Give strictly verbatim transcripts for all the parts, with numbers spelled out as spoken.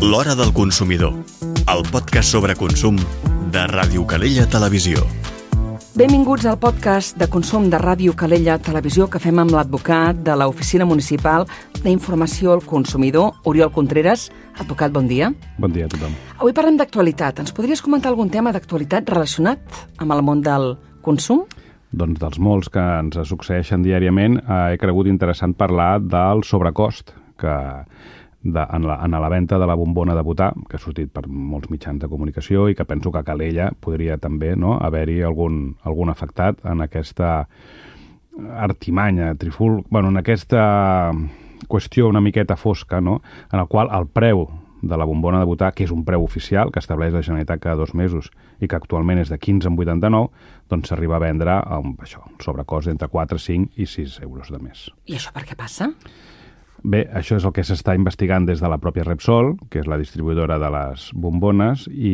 L'Hora del Consumidor, el podcast sobre consum de Ràdio Calella Televisió. Benvinguts al podcast de consum de Ràdio Calella Televisió que fem amb l'advocat de l'Oficina Municipal d'Informació al Consumidor, Oriol Contreras. Advocat, bon dia. Bon dia a tothom. Avui parlem d'actualitat. Ens podries comentar algun tema d'actualitat relacionat amb el món del consum? Doncs dels molts que ens succeeixen diàriament, eh, he cregut interessant parlar del sobrecost que de, en, la, en la venda de la bombona de butà, que ha sortit per molts mitjans de comunicació i que penso que a Calella podria també, no, haver-hi algun, algun afectat en aquesta artimanya, triful, bueno, en aquesta qüestió una miqueta fosca, no, en el qual el preu de la bombona de butà, que és un preu oficial, que estableix la Generalitat cada dos mesos i que actualment és de quinze coma vuitanta-nou, doncs s'arriba a vendre amb això, sobrecost entre quatre, cinc i sis euros de més. I això per què passa? Bé, això és el que s'està investigant des de la pròpia Repsol, que és la distribuïdora de les bombones i,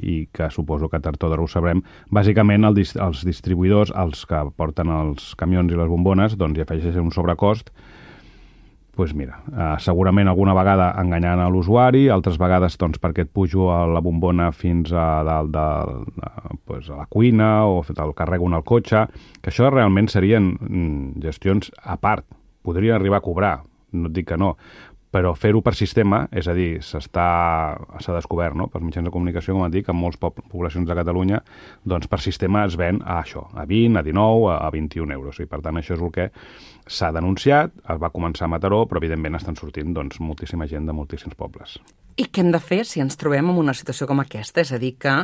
i que suposo que tard o d'hora ho sabrem. Bàsicament, el, els distribuïdors, els que porten els camions i les bombones, doncs hi afegeixen un sobrecost. Doncs pues mira, eh, segurament alguna vegada enganyant a l'usuari, altres vegades doncs, perquè et pujo a la bombona fins a dalt de, de, pues, a la cuina o el carrego en el cotxe, que això realment serien mm, gestions a part. Podrien arribar a cobrar, no et dic que no, però fer-ho per sistema, és a dir, s'està s'ha descobert, no?, pels mitjans de comunicació, com et dic, en moltes poblacions de Catalunya, doncs per sistema es ven a això, a vint, a dinou, a vint-i-un euros. I per tant, això és el que s'ha denunciat, es va començar a Mataró, però evidentment estan sortint doncs, moltíssima gent de moltíssims pobles. I què hem de fer si ens trobem en una situació com aquesta? És a dir, que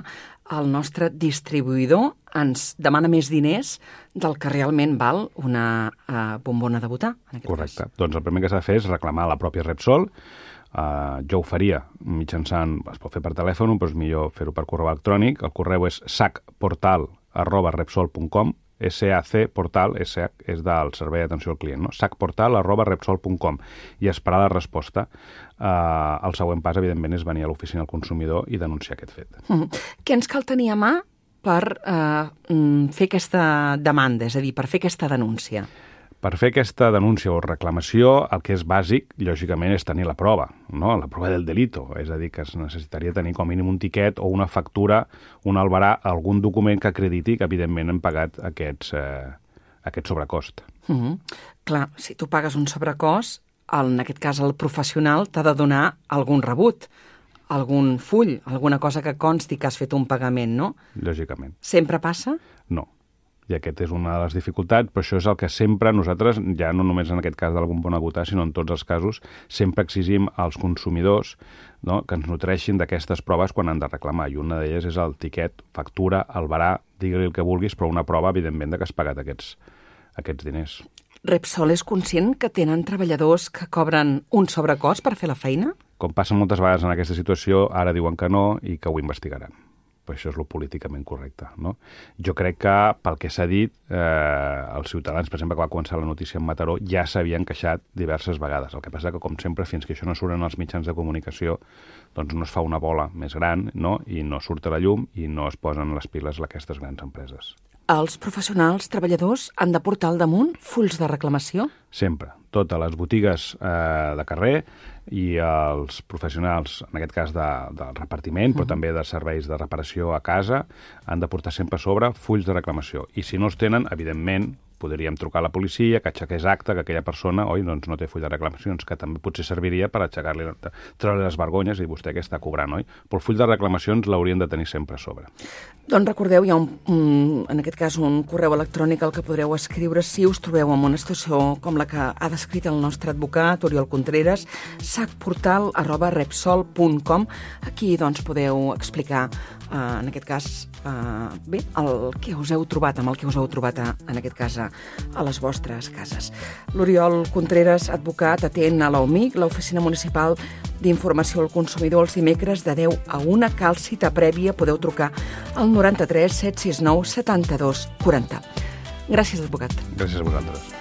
el nostre distribuïdor ens demana més diners del que realment val una uh, bombona de butà, en aquest Correcte. cas. Doncs el primer que s'ha de fer és reclamar a la pròpia Repsol. Uh, jo ho faria mitjançant, es pot fer per telèfon, però és millor fer-ho per correu electrònic. El correu és sacportal arroba repsol punt com, S A C portal, S A C és del Servei d'Atenció al Client, no? sacportal arroba repsol punt com, i esperar la resposta. Uh, el següent pas, evidentment, és venir a l'oficina del consumidor i denunciar aquest fet. Mm. Què ens cal tenir a mà per uh, fer aquesta demanda, és a dir, per fer aquesta denúncia? Per fer aquesta denúncia o reclamació, el que és bàsic, lògicament, és tenir la prova, no? La prova del delito. És a dir, que es necessitaria tenir com a mínim un tiquet o una factura, un albarà, algun document que acrediti que, evidentment, hem pagat aquests, eh, aquest sobrecost. Mm-hmm. Clar, si tu pagues un sobrecost, en aquest cas el professional t'ha de donar algun rebut, algun full, alguna cosa que consti que has fet un pagament, no? Lògicament. Sempre passa? No. I aquest és una de les dificultats, però això és el que sempre nosaltres, ja no només en aquest cas de la bombona de butà, sinó en tots els casos, sempre exigim als consumidors, no?, que ens nutreixin d'aquestes proves quan han de reclamar. I una d'elles és el tiquet, factura, albarà, digue-li el que vulguis, però una prova, evidentment, de que has pagat aquests, aquests diners. Repsol és conscient que tenen treballadors que cobren un sobrecost per fer la feina? Com passa moltes vegades en aquesta situació, ara diuen que no i que ho investigaran. Però això és el políticament correcte, no? Jo crec que, pel que s'ha dit, eh, els ciutadans, per exemple, que va començar la notícia en Mataró, ja s'havien queixat diverses vegades. El que passa que, com sempre, fins que això no surt en els mitjans de comunicació, doncs no es fa una bola més gran, no?, i no surt a la llum i no es posen les piles aquestes grans empreses. Els professionals treballadors han de portar al damunt fulls de reclamació? Sempre. Totes les botigues eh, de carrer i els professionals, en aquest cas de, del repartiment, però també de serveis de reparació a casa, han de portar sempre a sobre fulls de reclamació. I si no els tenen, evidentment, podríem trucar a la policia, que aixequés acte que aquella persona, oi, doncs no té full de reclamacions, que també potser serviria per aixecar-li, treure les vergonyes i vostè que està cobrant, oi? Però el full de reclamacions l'haurien de tenir sempre a sobre. Doncs recordeu, hi ha un, un, en aquest cas un correu electrònic al que podreu escriure si us trobeu en una situació com la que ha descrit el nostre advocat, Oriol Contreras, sacportal arroba repsol punt com. Aquí doncs podeu explicar, eh, en aquest cas, eh, bé, el que us heu trobat, amb el que us heu trobat, a, en aquest cas, a, a les vostres cases. L'Oriol Contreras, advocat, atén a l'O M I C, l'Oficina Municipal d'Informació al Consumidor, els dimecres de deu a una. Cal cita prèvia, podeu trucar al noranta-tres set sis nou setanta-dos quaranta. Gràcies, advocat. Gràcies a vosaltres.